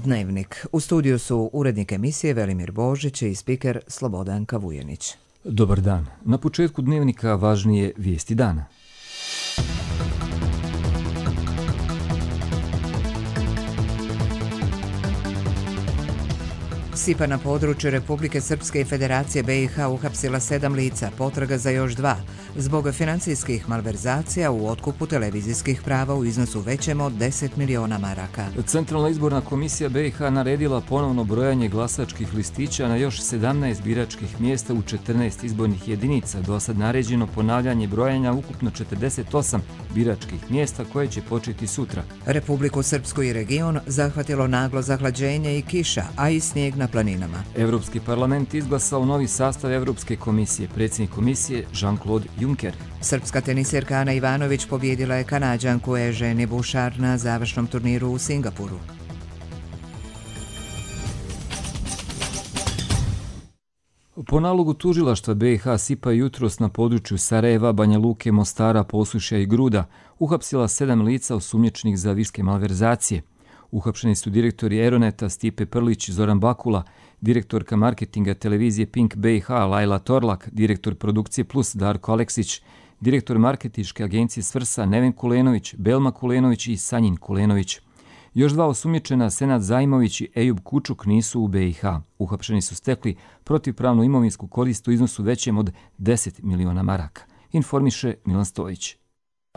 Dnevnik. U studiju su urednik emisije Velimir Božić i spiker Slobodanka Vujenić. Dobar dan. Na početku Dnevnika važnije vijesti dana. SIPA na području Republike Srpske i Federacije BiH uhapsila 7 lica, potraga za još 2, zbog financijskih malverzacija u otkupu televizijskih prava u iznosu većem od 10 miliona maraka. Centralna izborna komisija BiH naredila ponovno brojanje glasačkih listića na još 17 biračkih mjesta u 14 izbornih jedinica. Do sad naređeno ponavljanje brojanja ukupno 48 biračkih mjesta koje će početi sutra. Republiku Srpsku i region zahvatilo naglo zahlađenje i kiša, a i snijeg na planinama. Europski parlament izglasao novi sastav Europske komisije, predsjednik komisije Jean-Claude Juncker. Srpska tenisirka Ana Ivanović pobjedila je Kanađanku Eugenie Bouchard na završnom turniru u Singapuru. Po nalogu tužilaštva BiH SIPA jutros na području Sarajeva, Banja Luke, Mostara, Posušja i Gruda uhapsila 7 lica osumnjičenih za viške malverzacije. Uhapšeni su direktori Eroneta Stipe Prlić i Zoran Bakula, direktorka marketinga televizije Pink BiH Lajla Torlak, direktor produkcije Plus Darko Aleksić, direktor marketinške agencije Svrsa Neven Kulenović, Belma Kulenović i Sanjin Kulenović. Još 2 osumnjičena, Senad Zajmović i Ejub Kučuk, nisu u BiH. Uhapšeni su stekli protivpravnu imovinsku korist u iznosu većem od 10 miliona maraka, informiše Milan Stojić.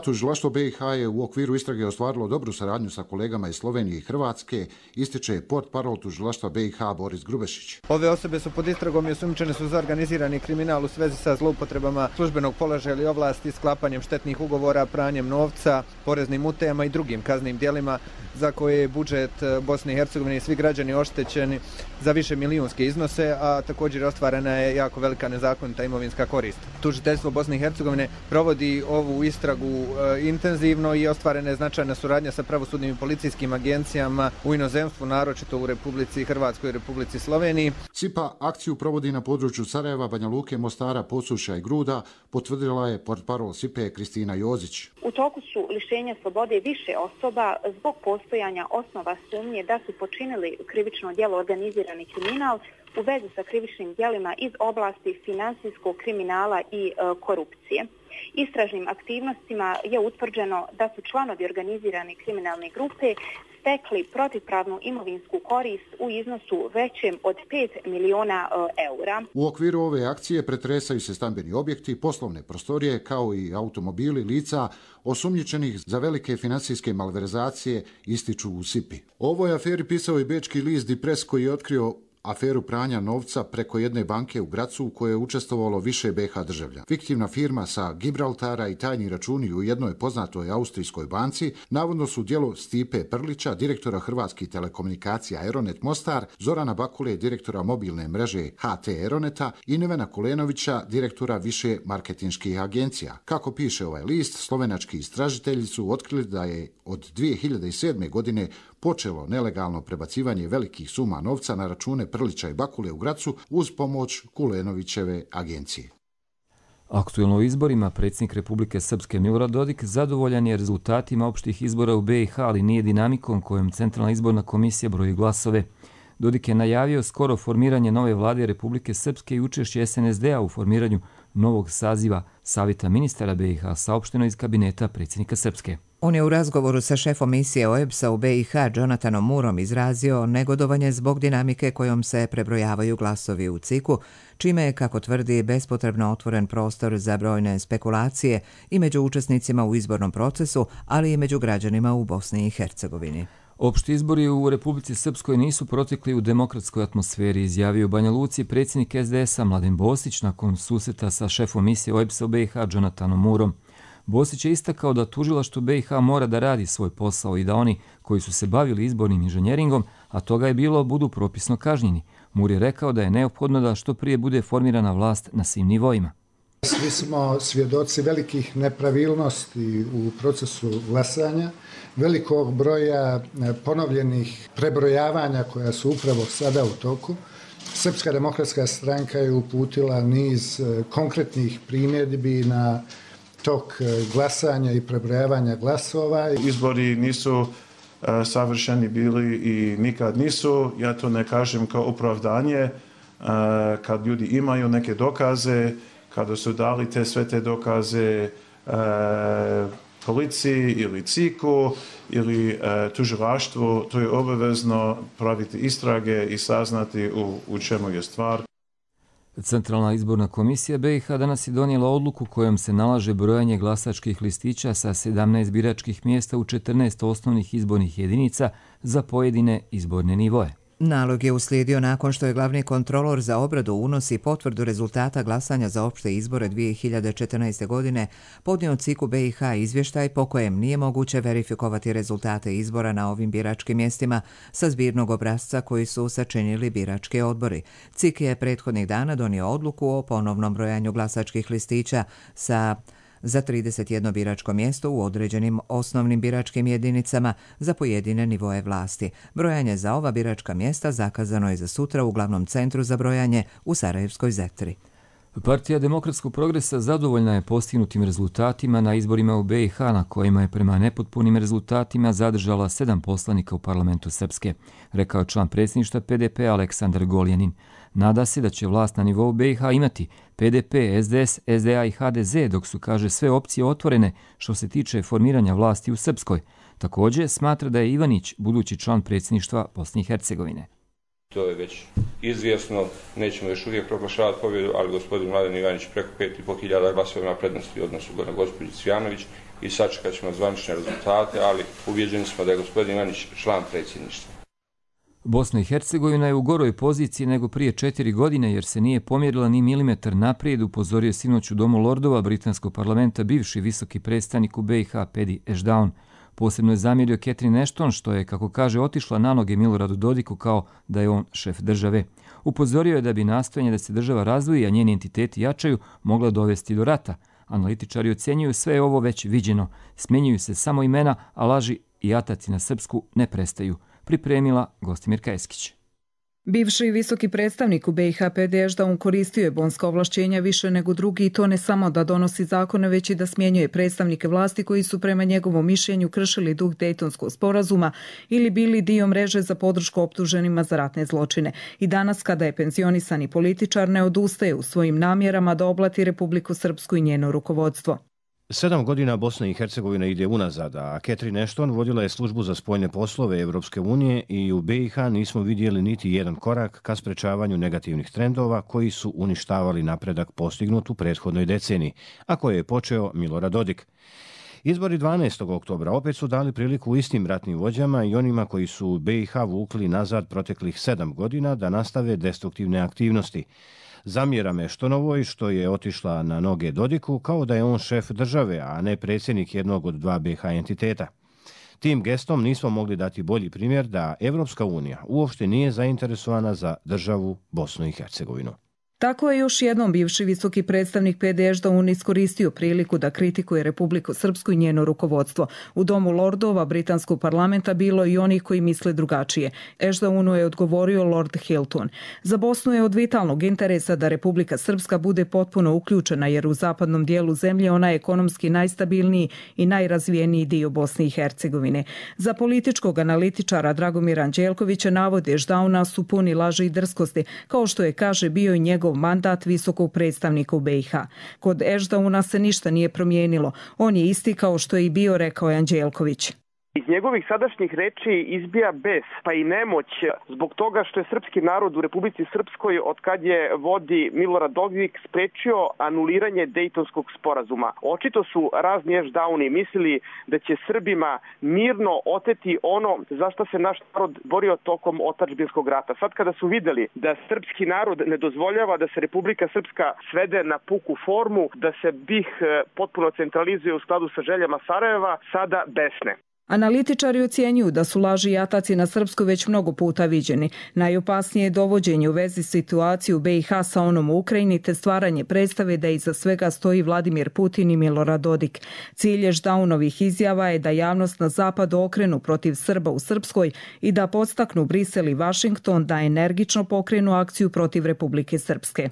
Tužilaštvo BiH je u okviru istrage ostvarilo dobru saradnju sa kolegama iz Slovenije i Hrvatske, ističe portparol tužilaštva BiH Boris Grubešić. Ove osobe su pod istragom i osumnjičene su za organizirani kriminal u svezi sa zloupotrebama službenog položaja ili ovlasti, sklapanjem štetnih ugovora, pranjem novca, poreznim utajama i drugim kaznenim djelima za koje je budžet Bosne i Hercegovine i svi građani oštećeni za više milijunske iznose, a također ostvarena je jako velika nezakonita imovinska korist. Tužiteljstvo Bosne i Hercegovine provodi ovu istragu intenzivno i ostvarena je značajna suradnja sa pravosudnim i policijskim agencijama u inozemstvu, naročito u Republici Hrvatskoj i Republici Sloveniji. SIPA akciju provodi na području Sarajeva, Banja Luke, Mostara, Posušja i Gruda, potvrdila je portparol SIPA Kristina Jozić. U toku su lišenja slobode više osoba zbog postojanja osnova sumnje da su počinili krivično djelo organizirani kriminal u vezi sa krivičnim djelima iz oblasti finansijskog kriminala i korupcije. Istražnim aktivnostima je utvrđeno da su članovi organizirane kriminalne grupe stekli protivpravnu imovinsku korist u iznosu većem od 5 miliona eura. U okviru ove akcije pretresaju se stambeni objekti, poslovne prostorije kao i automobili lica osumnjičenih za velike financijske malverzacije, ističu u SIPI. O ovoj aferi pisao i bečki list Die Press koji je otkrio aferu pranja novca preko jedne banke u Gracu u kojoj je učestvovalo više BiH državljana. Fiktivna firma sa Gibraltara i tajni računi u jednoj poznatoj austrijskoj banci navodno su djelo Stipe Prlića, direktora Hrvatskih telekomunikacija Aeronet Mostar, Zorana Bakule, direktora mobilne mreže HT Aeroneta i Nevena Kulenovića, direktora više marketinških agencija. Kako piše ovaj list, slovenački istražitelji su otkrili da je od 2007. godine počelo nelegalno prebacivanje velikih suma novca na račune Prlića i Bakule u Gracu uz pomoć Kulenovićeve agencije. Aktuelno u izborima predsjednik Republike Srpske Milorad Dodik zadovoljan je rezultatima opštih izbora u BiH, ali nije dinamikom kojom Centralna izborna komisija broji glasove. Dodik je najavio skoro formiranje nove vlade Republike Srpske i učešće SNSD-a u formiranju novog saziva Savjeta ministara BiH, saopšteno iz kabineta predsjednika Srpske. On je u razgovoru sa šefom misije OEBS-a u BiH Jonathanom Murom izrazio negodovanje zbog dinamike kojom se prebrojavaju glasovi u CIK-u, čime je, kako tvrdi, bespotrebno otvoren prostor za brojne spekulacije i među učesnicima u izbornom procesu, ali i među građanima u Bosni i Hercegovini. Opšti izbori u Republici Srpskoj nisu protekli u demokratskoj atmosferi, izjavio u Banja Luci predsjednik SDS-a Mladen Bosić nakon susreta sa šefom misije OEBS-a u BiH Jonathanom Murom. Bosić je istakao da tužilaštvo BiH mora da radi svoj posao i da oni koji su se bavili izbornim inženjeringom, a toga je bilo, budu propisno kažnjeni. Mur je rekao da je neophodno da što prije bude formirana vlast na svim nivoima. Svi smo svjedoci velikih nepravilnosti u procesu glasanja, velikog broja ponovljenih prebrojavanja koja su upravo sada u toku. Srpska demokratska stranka je uputila niz konkretnih primjedbi na tok glasanja i prebrojavanja glasova. Izbori nisu savršeni bili i nikad nisu. Ja to ne kažem kao opravdanje. Kad ljudi imaju neke dokaze, kada su dali sve te dokaze policiji ili CIK-u ili tužilaštvu, to je obavezno praviti istrage i saznati u čemu je stvar. Centralna izborna komisija BiH danas je donijela odluku kojom se nalaže brojanje glasačkih listića sa 17 biračkih mjesta u 14 osnovnih izbornih jedinica za pojedine izborne nivoe. Nalog je uslijedio nakon što je glavni kontrolor za obradu, unos i potvrdu rezultata glasanja za opšte izbore 2014. godine podnio CIK-u BiH izvještaj po kojem nije moguće verifikovati rezultate izbora na ovim biračkim mjestima sa zbirnog obrasca koji su sačinili birački odbori. CIK je prethodnih dana donio odluku o ponovnom brojanju glasačkih listića za 31 biračko mjesto u određenim osnovnim biračkim jedinicama za pojedine nivoe vlasti. Brojanje za ova biračka mjesta zakazano je za sutra u glavnom centru za brojanje u Sarajevskoj Zetri. Partija Demokratskog progresa zadovoljna je postignutim rezultatima na izborima u BiH na kojima je prema nepotpunim rezultatima zadržala 7 poslanika u parlamentu Srpske, rekao je član predsjedništva PDP Aleksandar Goljanin. Nada se da će vlast na nivou BiH imati PDP, SDS, SDA i HDZ, dok su, kaže, sve opcije otvorene što se tiče formiranja vlasti u Srpskoj. Također smatra da je Ivanić budući član predsjedništva Bosne i Hercegovine. To je već izvjesno, nećemo još uvijek proglašavati pobjedu, ali gospodin Mladen Ivanić preko 5.500 glasova ima prednosti u odnosu na gospođu Cvijanović i sačekat ćemo zvanične rezultate, ali ubjeđeni smo da je gospodin Ivanić član predsjedništva. Bosna i Hercegovina je u goroj poziciji nego prije 4 godine jer se nije pomjerila ni milimetar naprijed, upozorio sinoć u Domu lordova britanskog parlamenta bivši visoki predstavnik u BiH Pedi Ešdaun. Posebno je zamjerio Catherine Ashton što je, kako kaže, otišla na noge Miloradu Dodiku kao da je on šef države. Upozorio je da bi nastojanje da se država razvoji, a njeni entiteti jačaju, mogla dovesti do rata. Analitičari ocjenjuju sve ovo već viđeno. Smjenjuju se samo imena, a laži i ataci na srpsku ne prestaju. Pripremila Gostimirka Eskić. Bivši visoki predstavnik u BiH Pedi Ešdaun koristio je bonska ovlašćenja više nego drugi i to ne samo da donosi zakone, već i da smjenjuje predstavnike vlasti koji su prema njegovom mišljenju kršili duh Dejtonskog sporazuma ili bili dio mreže za podršku optuženima za ratne zločine. I danas, kada je penzionisani političar, ne odustaje u svojim namjerama da oblati Republiku Srpsku i njeno rukovodstvo. 7 godina Bosna i Hercegovina ide unazad, a Catherine Ashton vodila je službu za spoljne poslove Evropske unije i u BiH nismo vidjeli niti jedan korak ka sprečavanju negativnih trendova koji su uništavali napredak postignut u prethodnoj deceniji, a koje je počeo Milorad Dodik. Izbori 12. oktobra opet su dali priliku istim ratnim vođama i onima koji su BiH vukli nazad proteklih 7 godina da nastave destruktivne aktivnosti. Zamjera Meštonovoj što je otišla na noge Dodiku kao da je on šef države, a ne predsjednik jednog od 2 BiH entiteta. Tim gestom nismo mogli dati bolji primjer da Evropska unija uopšte nije zainteresovana za državu Bosnu i Hercegovinu. Tako je još jednom bivši visoki predstavnik Pedi Ešdaun iskoristio priliku da kritikuje Republiku Srpsku i njeno rukovodstvo. U Domu lordova britanskog parlamenta bilo i onih koji misle drugačije. Ešdaunu je odgovorio Lord Hilton. Za Bosnu je od vitalnog interesa da Republika Srpska bude potpuno uključena jer u zapadnom dijelu zemlje ona je ekonomski najstabilniji i najrazvijeniji dio Bosne i Hercegovine. Za političkog analitičara Dragomira Anđelkovića navode Ešdauna su puni laži i drskosti, kao što je, kaže, bio i njegov mandat visokog predstavnika u BiH. Kod Ešdauna se ništa nije promijenilo. On je isti kao što je i bio, rekao je Anđelković. Iz njegovih sadašnjih reči izbija bes, pa i nemoć zbog toga što je srpski narod u Republici Srpskoj od kad je vodi Milorad Dodik sprečio anuliranje Dejtonskog sporazuma. Očito su razni Ešdauni mislili da će Srbima mirno oteti ono za što se naš narod borio tokom otadžbinskog rata. Sad kada su vidjeli da srpski narod ne dozvoljava da se Republika Srpska svede na puku formu, da se BiH potpuno centralizuje u skladu sa željama Sarajeva, sada besne. Analitičari ocjenjuju da su laži i ataci na Srpsku već mnogo puta viđeni. Najopasnije je dovođenje u vezi situaciju BiH sa onom u Ukrajini te stvaranje predstave da iza svega stoji Vladimir Putin i Milorad Dodik. Cilj Ešdaunovih izjava je da javnost na zapadu okrenu protiv Srba u Srpskoj i da podstaknu Brisel i Vašington da energično pokrenu akciju protiv Republike Srpske.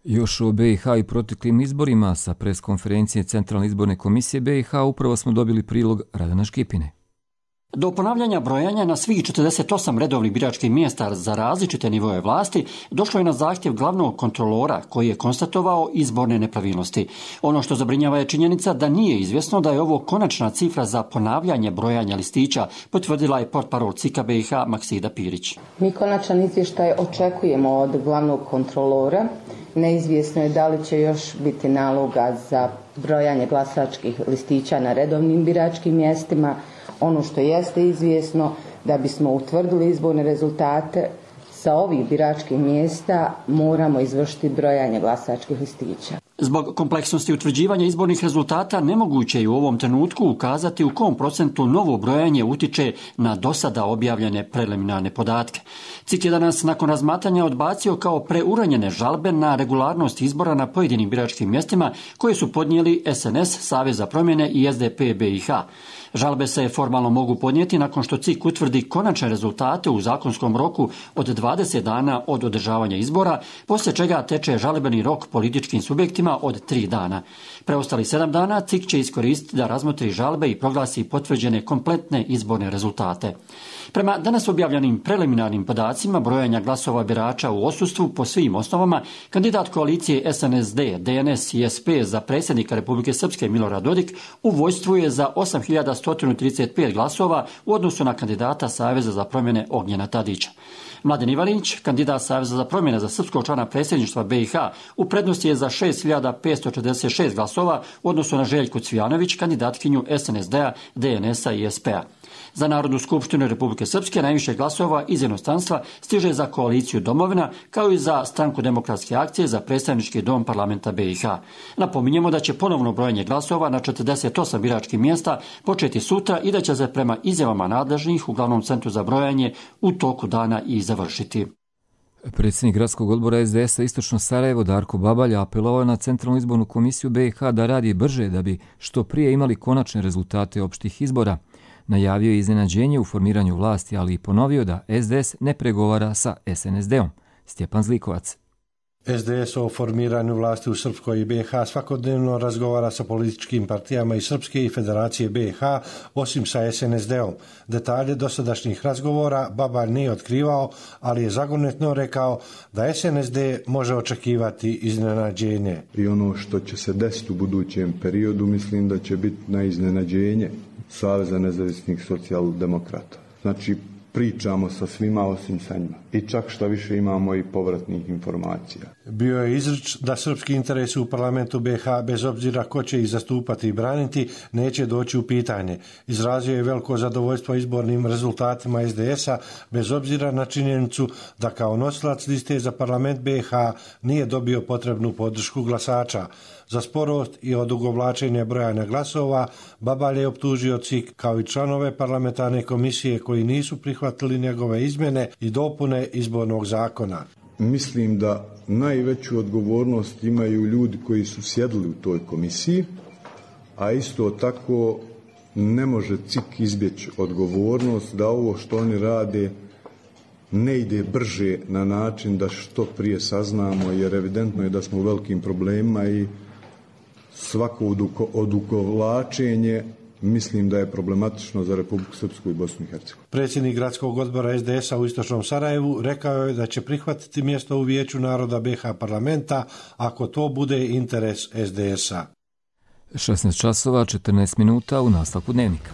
Još o BiH i proteklim izborima sa preskonferencije Centralne izborne komisije BiH upravo smo dobili prilog Radana Škipine. Do ponavljanja brojanja na svih 48 redovnih biračkih mjesta za različite nivoje vlasti došlo je na zahtjev glavnog kontrolora koji je konstatovao izborne nepravilnosti. Ono što zabrinjava je činjenica da nije izvjesno da je ovo konačna cifra za ponavljanje brojanja listića, potvrdila je portparol CIK-a BiH Maksida Pirić. Mi konačan izvještaj očekujemo od glavnog kontrolora. Neizvjesno je da li će još biti naloga za brojanje glasačkih listića na redovnim biračkim mjestima. Ono što jeste izvjesno, da bismo utvrdili izborne rezultate sa ovih biračkih mjesta moramo izvršiti brojanje glasačkih listića. Zbog kompleksnosti utvrđivanja izbornih rezultata nemoguće je u ovom trenutku ukazati u kom procentu novo brojanje utiče na dosada objavljene preliminarne podatke. CIK je danas nakon razmatranja odbacio kao preuranjene žalbe na regularnost izbora na pojedinim biračkim mjestima koje su podnijeli SNS, Savez za promjene i SDP BiH. Žalbe se formalno mogu podnijeti nakon što CIK utvrdi konačne rezultate u zakonskom roku od 20 dana od održavanja izbora, poslije čega teče žalbeni rok političkim subjektima od 3 dana. Preostali 7 dana CIK će iskoristiti da razmotri žalbe i proglasi potvrđene kompletne izborne rezultate. Prema danas objavljenim preliminarnim podacima brojanja glasova birača u odsustvu po svim osnovama, kandidat koalicije SNSD, DNS i SP za predsjednika Republike Srpske Milorad Dodik u vojstvu je za 8.135 glasova u odnosu na kandidata Saveza za promjene Ognjena Tadića. Mladen Ivanić, kandidat Saveza za promjene za srpskog člana predsjedništva BiH, u prednosti je za 6.546 glasova u odnosu na Željku Cvijanović, kandidatkinju SNSD-a, DNS-a i SP-a. Za Narodnu skupštinu Republike Srpske najviše glasova iz inostranstva stiže za koaliciju Domovina, kao i za Stranku demokratske akcije za predstavnički dom parlamenta BiH. Napominjemo da će ponovno brojanje glasova na 48 biračkih mjesta početi sutra i da će se prema izjavama nadležnih u glavnom centru za brojanje u toku dana i završiti. Predsjednik gradskog odbora SDS-a Istočno Sarajevo Darko Babalj apelovao na Centralnu izbornu komisiju BiH da radi brže da bi što prije imali konačne rezultate opštih izbora. Najavio je iznenađenje u formiranju vlasti, ali i ponovio da SDS ne pregovara sa SNSD-om. Stjepan Zlikovac. SDS o formiranju vlasti u Srpskoj i BiH svakodnevno razgovara sa političkim partijama iz Srpske i Federacije BiH, osim sa SNSD-om. Detalje dosadašnjih razgovora Babalj nije otkrivao, ali je zagonetno rekao da SNSD može očekivati iznenađenje. I ono što će se desiti u budućem periodu, mislim da će biti na iznenađenje Saveza nezavisnih socijaldemokrata. Znači, pričamo sa svima osim sa njima. I čak šta više imamo i povratnih informacija. Bio je izrič da srpski interesi u parlamentu BiH, bez obzira ko će ih zastupati i braniti, neće doći u pitanje. Izrazio je veliko zadovoljstvo izbornim rezultatima SDS-a, bez obzira na činjenicu da kao nosilac liste za parlament BiH nije dobio potrebnu podršku glasača. Za sporost i odugovlačenje brojanja glasova Babalj je optužio CIK kao i članove parlamentarne komisije koji nisu prihvatili njegove izmjene i dopune izbornog zakona. Mislim da najveću odgovornost imaju ljudi koji su sjedili u toj komisiji, a isto tako ne može CIK izbjeći odgovornost da ovo što oni rade ne ide brže na način da što prije saznamo, jer evidentno je da smo u velikim problemima i svako odugovlačenje mislim da je problematično za Republiku Srpsku i Bosnu i Hercegovinu. Predsjednik gradskog odbora SDS-a u Istočnom Sarajevu rekao je da će prihvatiti mjesto u Vijeću naroda BiH parlamenta ako to bude interes SDS-a. 16 časova, 14 minuta u nastavku dnevnika.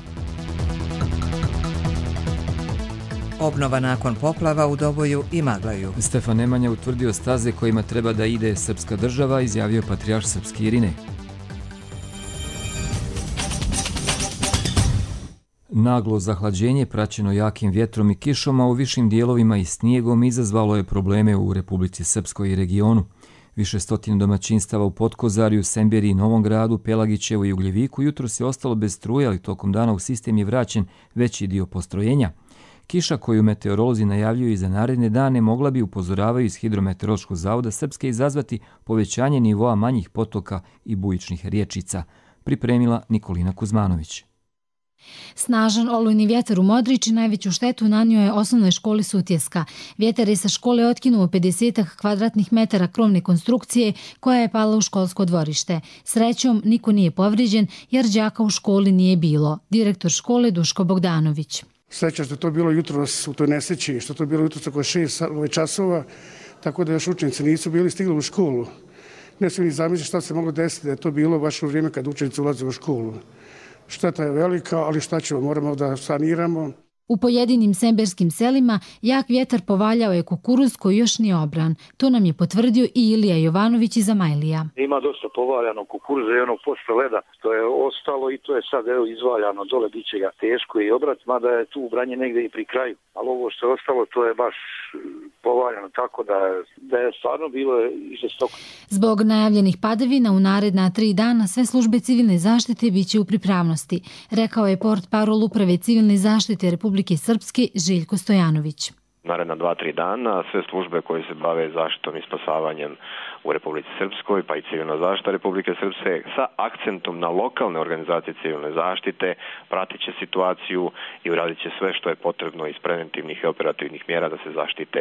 Obnova nakon poplava u Doboju i Maglaju. Stefan Nemanja utvrdio staze kojima treba da ide srpska država, izjavio patrijarh srpski Irinej. Naglo zahlađenje praćeno jakim vjetrom i kišom, a u višim dijelovima i snijegom izazvalo je probleme u Republici Srpskoj i regionu. Više stotina domaćinstava u Potkozarju, Semberiji, Novom Gradu, Pelagićevu i Ugljeviku jutros je ostalo bez struje, ali tokom dana u sistem je vraćen veći dio postrojenja. Kiša koju meteorolozi najavljuju i za naredne dane mogla bi, upozoravaju iz Hidrometeorološkog zavoda Srpske, izazvati povećanje nivoa manjih potoka i bujičnih riječica. Pripremila Nikolina Kuzmanović. Snažan olujni vjetar u Modriči najveću štetu nanio je osnovnoj školi Sutjeska. Vjetar je sa škole otkinuo 50 kvadratnih metara krovne konstrukcije koja je pala u školsko dvorište. Srećom, niko nije povrijeđen jer đaka u školi nije bilo. Direktor škole Duško Bogdanović. Sreća što je to bilo jutros u toj nesreći, što je to bilo jutros oko 6 časova, tako da još učenici nisu bili stigli u školu. Ne smijem ni zamisliti šta se moglo desiti da je to bilo baš u vrijeme kad učenici ulaze u školu. Šteta je velika, ali šta ćemo, moramo da saniramo. U pojedinim semberskim selima jak vjetar povaljao je kukuruz koji još nije obran. To nam je potvrdio i Ilija Jovanović iz Amajlija. Ima dosta povaljano kukuruza i onog posle leda što je ostalo i to je sad izvaljano dole, bit će ga teško i obrat, mada je tu ubranje negdje i pri kraju. Ali ovo što je ostalo to je baš povaljano tako da je stvarno bilo žestoko. Zbog najavljenih padavina u naredna 3 dana sve službe civilne zaštite bit će u pripravnosti, rekao je portparol Uprave civilne zaštite Republike Srpske Željko Stojanović. Naredna 2-3 dana sve službe koje se bave zaštitom i spasavanjem u Republici Srpskoj, pa i civilna zaštita Republike Srpske sa akcentom na lokalne organizacije civilne zaštite pratit će situaciju i uradit će sve što je potrebno iz preventivnih i operativnih mjera da se zaštite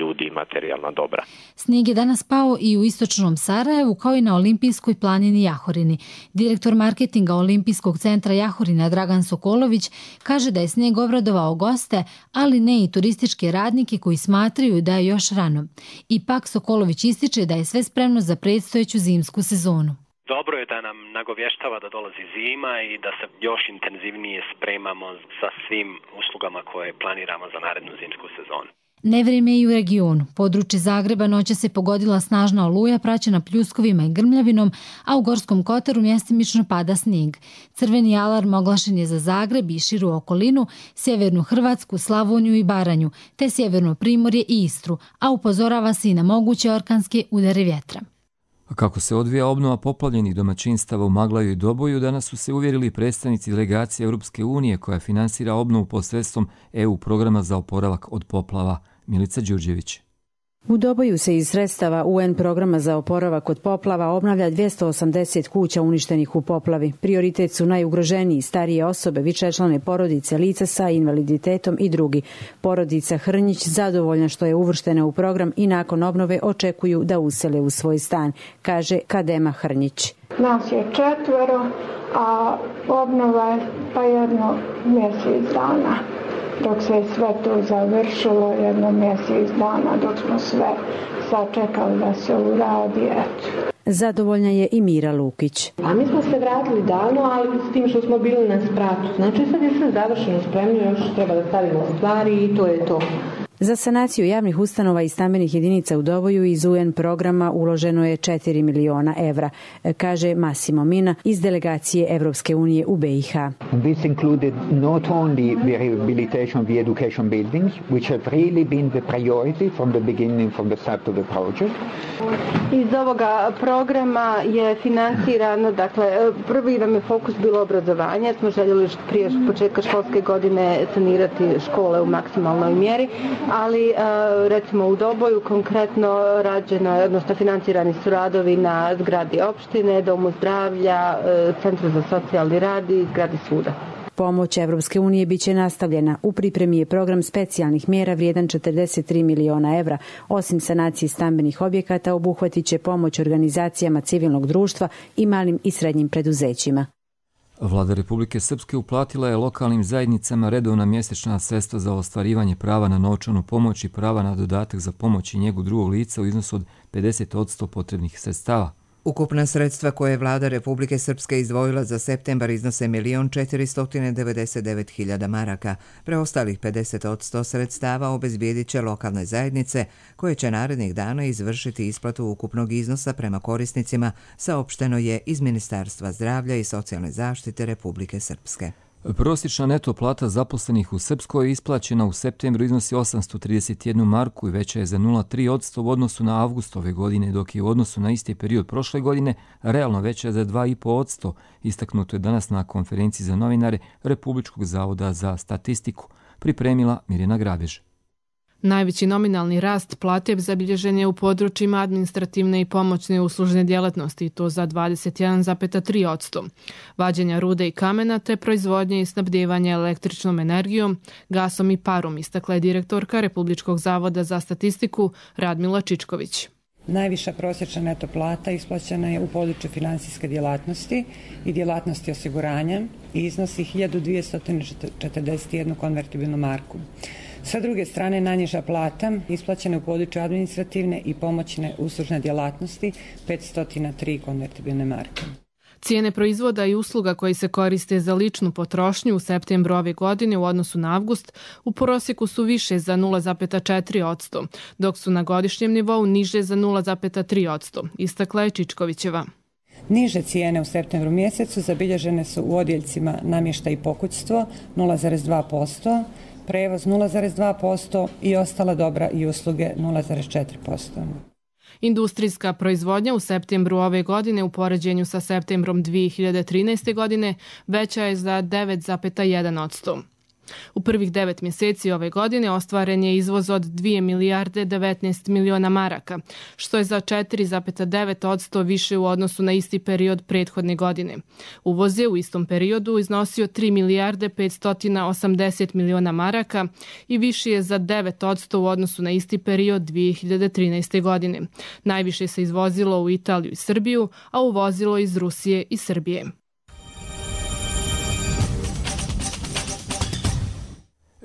ljudi i materijalna dobra. Snijeg je danas pao i u istočnom Sarajevu kao i na olimpijskoj planini Jahorini. Direktor marketinga Olimpijskog centra Jahorina Dragan Sokolović kaže da je snijeg obradovao goste, ali ne i turističke radnike koji smatraju da je još rano. Ipak Sokolović ističe da je sve spremno za predstojeću zimsku sezonu. Dobro je da nam nagovještava da dolazi zima i da se još intenzivnije spremamo sa svim uslugama koje planiramo za narednu zimsku sezonu. Nevrijeme i u regionu. Područje Zagreba noća se pogodila snažna oluja praćena pljuskovima i grmljavinom, a u Gorskom Kotaru mjestimično pada snijeg. Crveni alarm oglašen je za Zagreb i širu okolinu, sjevernu Hrvatsku, Slavoniju i Baranju, te sjeverno Primorje i Istru, a upozorava se i na moguće orkanske udare vjetra. Kako se odvija obnova poplavljenih domaćinstava u Maglaju i Doboju, danas su se uvjerili predstavnici delegacije Europske unije koja finansira obnovu posredstvom EU programa za oporavak od poplava. Milica Đurđević. U Doboju se iz sredstava UN programa za oporavak od poplava obnavlja 280 kuća uništenih u poplavi. Prioritet su najugroženiji, starije osobe, višečlane porodice, lica sa invaliditetom i drugi. Porodica Hrnjić zadovoljna što je uvrštena u program i nakon obnove očekuju da usele u svoj stan, kaže Kadema Hrnjić. Nas je 4, a obnova je pa jedno mjesec dana. Dok se sve to završilo, jedno mjesec dana, dok smo sve sačekali da se uradi, eto. Zadovoljna je i Mira Lukić. A mi smo se vratili davno, ali s tim što smo bili na spratu. Znači sad je sve završeno, spremno, još treba da stavimo stvari i to je to. Za sanaciju javnih ustanova i stambenih jedinica u Doboju iz UN programa uloženo je 4 miliona evra, kaže Massimo Mina iz delegacije Evropske unije u BiH. This included not only the rehabilitation of the education buildings, which have really been the priority from the beginning, from the start of the project. Iz ovoga programa je financirano, dakle, prvi nam je fokus bilo obrazovanje, smo željeli prije početka školske godine sanirati škole u maksimalnoj mjeri, ali recimo u Doboju konkretno rađeno, odnosno financirani su radovi na zgradi opštine, domu zdravlja, centru za socijalni rad i zgradi suda. Pomoć Evropske unije biće nastavljena. U pripremi je program specijalnih mjera vrijedan 43 miliona evra. Osim sanacije stambenih objekata, obuhvatit će pomoć organizacijama civilnog društva i malim i srednjim preduzećima. Vlada Republike Srpske uplatila je lokalnim zajednicama redovna mjesečna sredstva za ostvarivanje prava na novčanu pomoć i prava na dodatak za pomoć i njegu drugog lica u iznosu od 50% potrebnih sredstava. Ukupna sredstva koje je Vlada Republike Srpske izdvojila za septembar iznose 1.499.000 maraka. Preostalih 50% sredstava obezbijedit će lokalne zajednice koje će narednih dana izvršiti isplatu ukupnog iznosa prema korisnicima, saopšteno je iz Ministarstva zdravlja i socijalne zaštite Republike Srpske. Prosječna neto plata zaposlenih u Srpskoj isplaćena u septembru iznosi 831 marku i veća je za 0,3% u odnosu na avgust ove godine, dok je u odnosu na isti period prošle godine realno veća za 2,5%, istaknuto je danas na konferenciji za novinare Republičkog zavoda za statistiku, pripremila Mirjana Grabež. Najveći nominalni rast plate zabilježen je u područjima administrativne i pomoćne uslužne djelatnosti, i to za 21,3%. Vađenja rude i kamena te proizvodnje i snabdijevanje električnom energijom, gasom i parom, istakla je direktorka Republičkog zavoda za statistiku Radmila Čičković. Najviša prosječna neto plata isplaćena je u području finansijske djelatnosti i djelatnosti osiguranja i iznosi 1241 konvertibilnu marku. Sa druge strane, najniža plata isplaćena u području administrativne i pomoćne uslužne djelatnosti 503 konvertibilne marke. Cijene proizvoda i usluga koji se koriste za ličnu potrošnju u septembru ove godine u odnosu na avgust u prosjeku su više za 0,4%, dok su na godišnjem nivou niže za 0,3%, istakla je Čičkovićeva. Niže cijene u septembru mjesecu zabilježene su u odjeljcima namještaj i pokućstvo 0,2%, prevoz 0,2% i ostala dobra i usluge 0,4%. Industrijska proizvodnja u septembru ove godine u poređenju sa septembrom 2013. godine veća je za 9,1%. U prvih 9 mjeseci ove godine ostvaren je izvoz od 2 milijarde 19 miliona maraka, što je za 4,9% više u odnosu na isti period prethodne godine. Uvoz je u istom periodu iznosio 3 milijarde 580 miliona maraka i više je za 9% u odnosu na isti period 2013. godine. Najviše se izvozilo u Italiju i Srbiju, a uvozilo iz Rusije i Srbije.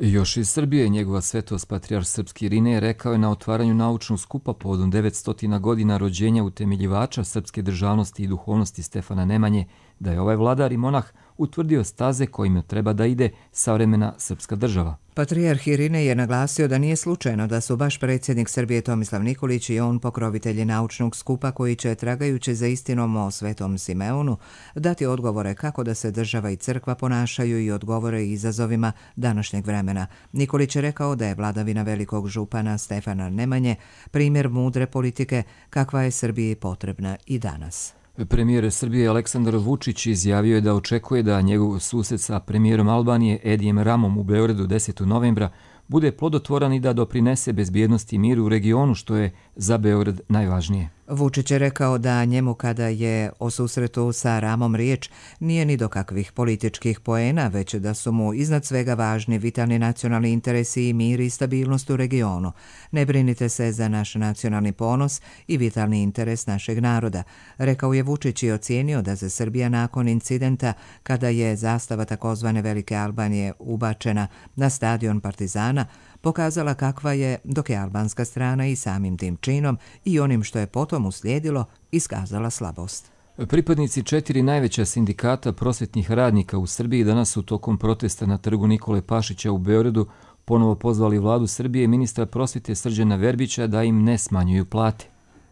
Još iz Srbije njegova svetost patrijarh srpski Irinej rekao je na otvaranju naučnog skupa povodom 900 godina rođenja utemeljivača srpske državnosti i duhovnosti Stefana Nemanje da je ovaj vladar i monah utvrdio staze kojima treba da ide savremena srpska država. Patrijarh Irinej je naglasio da nije slučajno da su baš predsjednik Srbije Tomislav Nikolić i on pokrovitelji naučnog skupa koji će, tragajući za istinom o Svetom Simeonu, dati odgovore kako da se država i crkva ponašaju i odgovore izazovima današnjeg vremena. Nikolić je rekao da je vladavina velikog župana Stefana Nemanje primjer mudre politike kakva je Srbiji potrebna i danas. Premijer Srbije Aleksandar Vučić izjavio je da očekuje da njegov susret sa premijerom Albanije Edijem Ramom u Beogradu 10. novembra bude plodotvoran i da doprinese bezbjednosti i miru u regionu, što je za Beograd najvažnije. Vučić je rekao da njemu kada je o susretu sa Ramom riječ nije ni do kakvih političkih poena, već da su mu iznad svega važni vitalni nacionalni interesi i mir i stabilnost u regionu. Ne brinite se za naš nacionalni ponos i vitalni interes našeg naroda, rekao je Vučić i ocijenio da se Srbija nakon incidenta kada je zastava takozvane Velike Albanije ubačena na stadion Partizana pokazala kakva je, dok je albanska strana i samim tim činom i onim što je potom uslijedilo iskazala slabost. Pripadnici 4 najveća sindikata prosvetnih radnika u Srbiji danas su tokom protesta na trgu Nikole Pašića u Beogradu ponovo pozvali vladu Srbije i ministra prosvete Srđana Verbića da im ne smanjuju plate.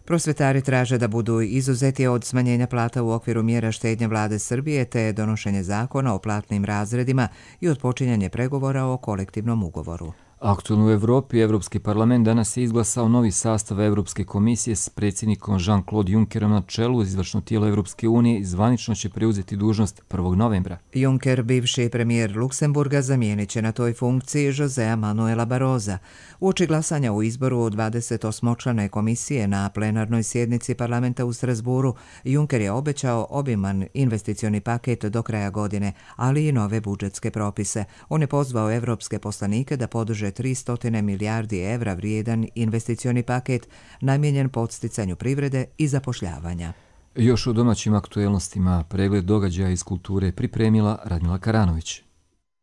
Prosvetari traže da budu izuzeti od smanjenja plata u okviru mjera štednje vlade Srbije te donošenje zakona o platnim razredima i odpočinjanje pregovora o kolektivnom ugovoru. Aktualno u Evropi, Evropski parlament danas je izglasao novi sastav Evropske komisije s predsjednikom Jean-Claude Junckerom na čelu. Izvršno tijelo Evropske unije zvanično će preuzeti dužnost 1. novembra. Juncker, bivši premijer Luksemburga, zamijenit će na toj funkciji Josea Manuela Barroza. Uoči glasanja u izboru 28-člane komisije na plenarnoj sjednici parlamenta u Strasburu, Juncker je obećao obiman investicioni paket do kraja godine, ali i nove budžetske propise. On je pozvao evropske poslanike da podrže 300 milijardi evra vrijedan investicioni paket namijenjen podsticanju privrede i zapošljavanja. Još u domaćim aktuelnostima pregled događaja iz kulture pripremila Radmila Karanović.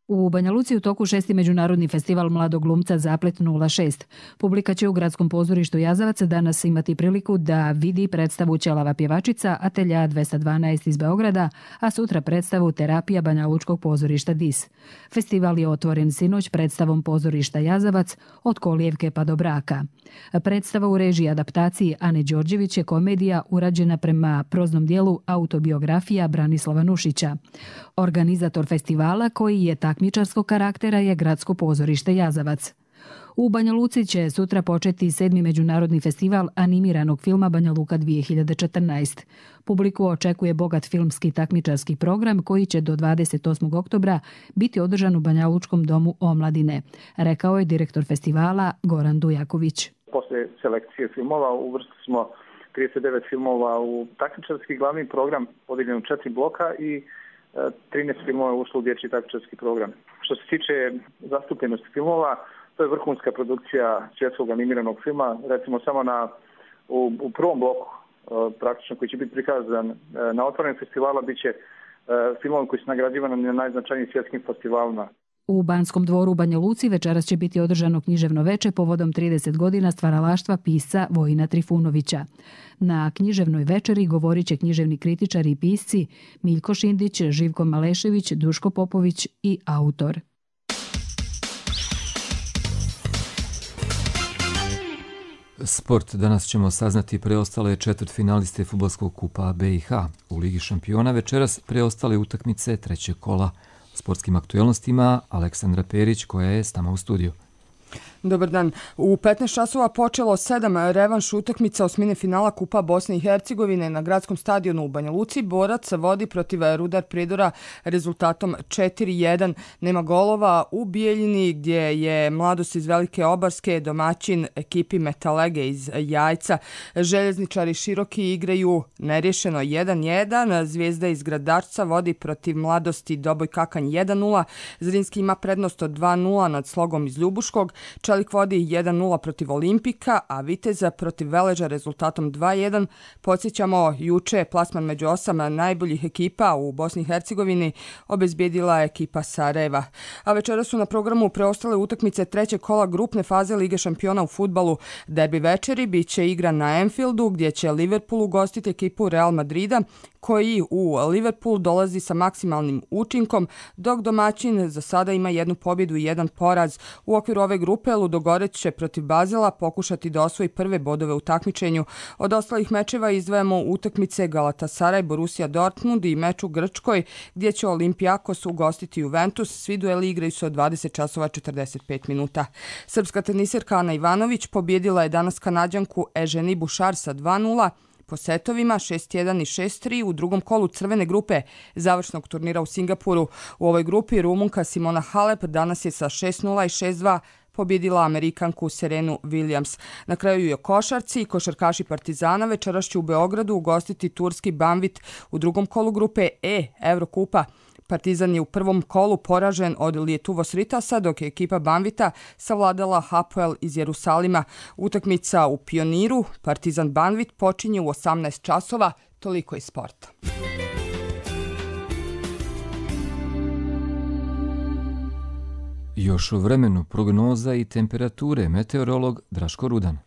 U Banja Luci u toku 6. međunarodni festival mladog glumca Zaplet 06. Publika će u gradskom pozorištu Jazavac danas imati priliku da vidi predstavu Ćelava pjevačica Atelja 212 iz Beograda, a sutra predstavu Terapija Banja Lučkog pozorišta DIS. Festival je otvoren sinoć predstavom pozorišta Jazavac Od kolijevke pa do braka. Predstava u režiji adaptaciji Ane Đorđević je komedija urađena prema proznom dijelu autobiografija Branislava Nušića. Organizator festivala, koji je takmičarskog karaktera, je gradsko pozorište Jazavac. U Banja Luci će sutra početi 7. međunarodni festival animiranog filma Banja Luka 2014. Publiku očekuje bogat filmski takmičarski program koji će do 28. oktobra biti održan u Banja Lučkom domu omladine, rekao je direktor festivala Goran Dujaković. Posle selekcije filmova uvrstili smo 39 filmova u takmičarski glavni program podijeljen u 4 bloka i 13 filmova ušlo u dječji takmičarski program. Što se tiče zastupljenosti filmova, to je vrhunska produkcija svjetskog animiranog filma. Recimo samo u prvom bloku, praktično koji će biti prikazan na otvorenim festivala, bit će filmovi koji su nagrađivani na najznačajnijim svjetskim festivalima. U Banskom dvoru u Banja Luci večeras će biti održano književno veče povodom 30 godina stvaralaštva pisca Vojina Trifunovića. Na književnoj večeri govorit će književni kritičari i pisci Miljko Šindić, Živko Malešević, Duško Popović i autor. Sport. Danas ćemo saznati preostale četvrtfinaliste fudbalskog kupa BiH. U Ligi šampiona večeras preostale utakmice trećeg kola. Sportskim aktuelnostima Aleksandra Perić koja je s nama u studiju. Dobar dan. U 15 časova počelo 7 revanš utakmica osmine finala Kupa Bosne i Hercegovine na gradskom stadionu u Banja Luci. Borac vodi protiv Rudar Pridora rezultatom 4-1. Nema golova u Bijeljini gdje je Mladost iz Velike Obarske domaćin ekipi Metalege iz Jajca. Željezničari Široki igraju nerješeno 1-1. Zvijezda iz Gradarca vodi protiv Mladosti Doboj Kakanj 1-0. Zrinski ima prednost od 2-0 nad Slogom iz Ljubuškog. Čelik vodi 1-0 protiv Olimpika, a Viteza protiv Veleža rezultatom 2-1. Podsjećamo, juče plasman među 8 najboljih ekipa u Bosni i Hercegovini obezbijedila ekipa Sarajeva. A večera su na programu preostale utakmice trećeg kola grupne faze Lige šampiona u fudbalu. Derbi večeri bit će igra na Anfieldu gdje će Liverpool ugostiti ekipu Real Madrida koji u Liverpool dolazi sa maksimalnim učinkom, dok domaćin za sada ima 1 pobjedu i 1 poraz. U okviru ove grupe Ludogorec će protiv Bazela pokušati da osvoji prve bodove u takmičenju. Od ostalih mečeva izdvajamo utakmice Galatasaray, Borussia Dortmund i meč u Grčkoj gdje će Olympiakos ugostiti Juventus. Svi dueli igraju se od 20 časova 45 minuta. Srpska teniserka Ana Ivanović pobjedila je danas Kanađanku Eženi Bušar sa 2-0. Po setovima 6-1 i 6-3 u drugom kolu crvene grupe završnog turnira u Singapuru. U ovoj grupi Rumunka Simona Halep danas je sa 6-0 i 6-2 pobjedila Amerikanku Serenu Williams. Na kraju je košarci i košarkaši Partizana večeras će u Beogradu ugostiti turski Banvit u drugom kolu grupe E Evrokupa. Partizan je u prvom kolu poražen od Lietuvos Ritasa, dok je ekipa Banvita savladala Hapoel iz Jerusalima. Utakmica u Pioniru Partizan Banvit počinje u 18 časova. Toliko iz sporta. Još o vremenu, prognoza i temperature, meteorolog Draško Rudan.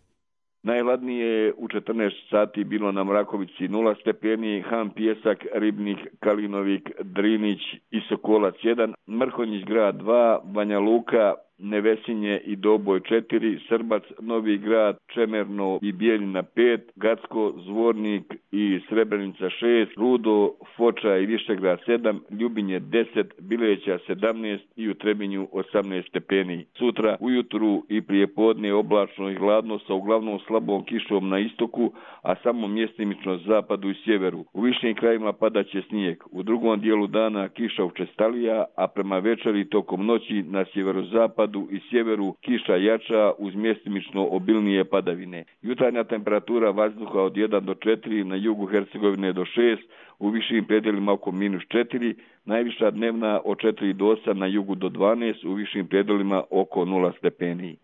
Najhladnije je u 14 sati bilo na Mrakovici 0 stepeni, Han Pijesak, Ribnik, Kalinovik, Drinić i Sokolac 1, Mrkonjić grad 2, Banja Luka, Nevesinje i Doboj 4, Srbac, Novi grad, Čemerno i Bijeljina 5, Gacko, Zvornik i Srebrenica 6, Rudo, Foča i Višegrad 7, Ljubinje 10, Bileća 17 i u Trebinju 18 stepeni. Sutra ujutru i prijepodne oblačno i hladno sa uglavnom slabom kišom na istoku, a samo mjestimično zapadu i sjeveru. U višim krajima padaće snijeg. U drugom dijelu dana kiša učestalija, a prema večeri tokom noći na sjeverozapadu i sjeveru kiša jača uz mjestimično obilnije padavine. Jutarnja temperatura vazduha od 1 do 4, na jugu Hercegovine do 6, u višim predjelima oko -4, najviša dnevna od 4 do 8, na jugu do 12, u višim predjelima oko 0 stepeni.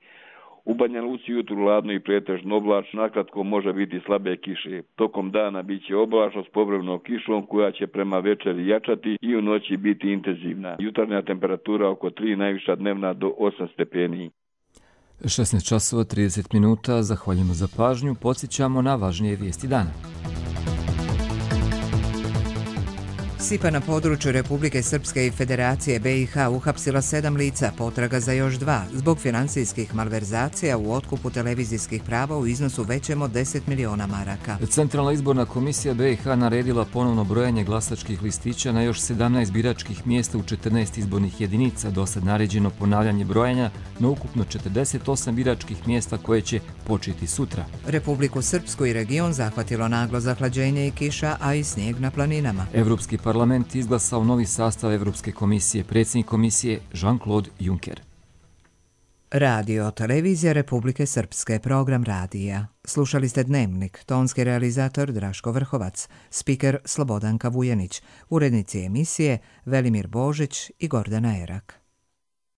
U Banja Luci jutru hladno i pretežno oblačno, nakratko može biti slabe kiše. Tokom dana bit će oblačno s povremenom kišom koja će prema večeri jačati i u noći biti intenzivna. Jutarnja temperatura oko 3, najviša dnevna do 8 stepeni. 16 časova 30 minuta, zahvaljujemo za pažnju, podsjećamo na važnije vijesti dana. SIPA na području Republike Srpske i Federacije BiH uhapsila 7 lica, potraga za još 2, zbog financijskih malverzacija u otkupu televizijskih prava u iznosu većem od 10 miliona maraka. Centralna izborna komisija BiH naredila ponovno brojanje glasačkih listića na još 17 biračkih mjesta u 14 izbornih jedinica. Dosad naređeno ponavljanje brojanja na ukupno 48 biračkih mjesta koje će početi sutra. Republiku Srpsku i region zahvatilo naglo zahlađenje i kiša, a i snijeg na planinama. Europski parlament izglasao novi sastav Europske komisije, predsjednik komisije Jean-Claude Juncker. Radio televizija Republike Srpske, program radija. Slušali ste Dnevnik, tonski realizator Draško Vrhovac, spiker Slobodanka Vujenić, urednici emisije Velimir Božić i Gordana Erak.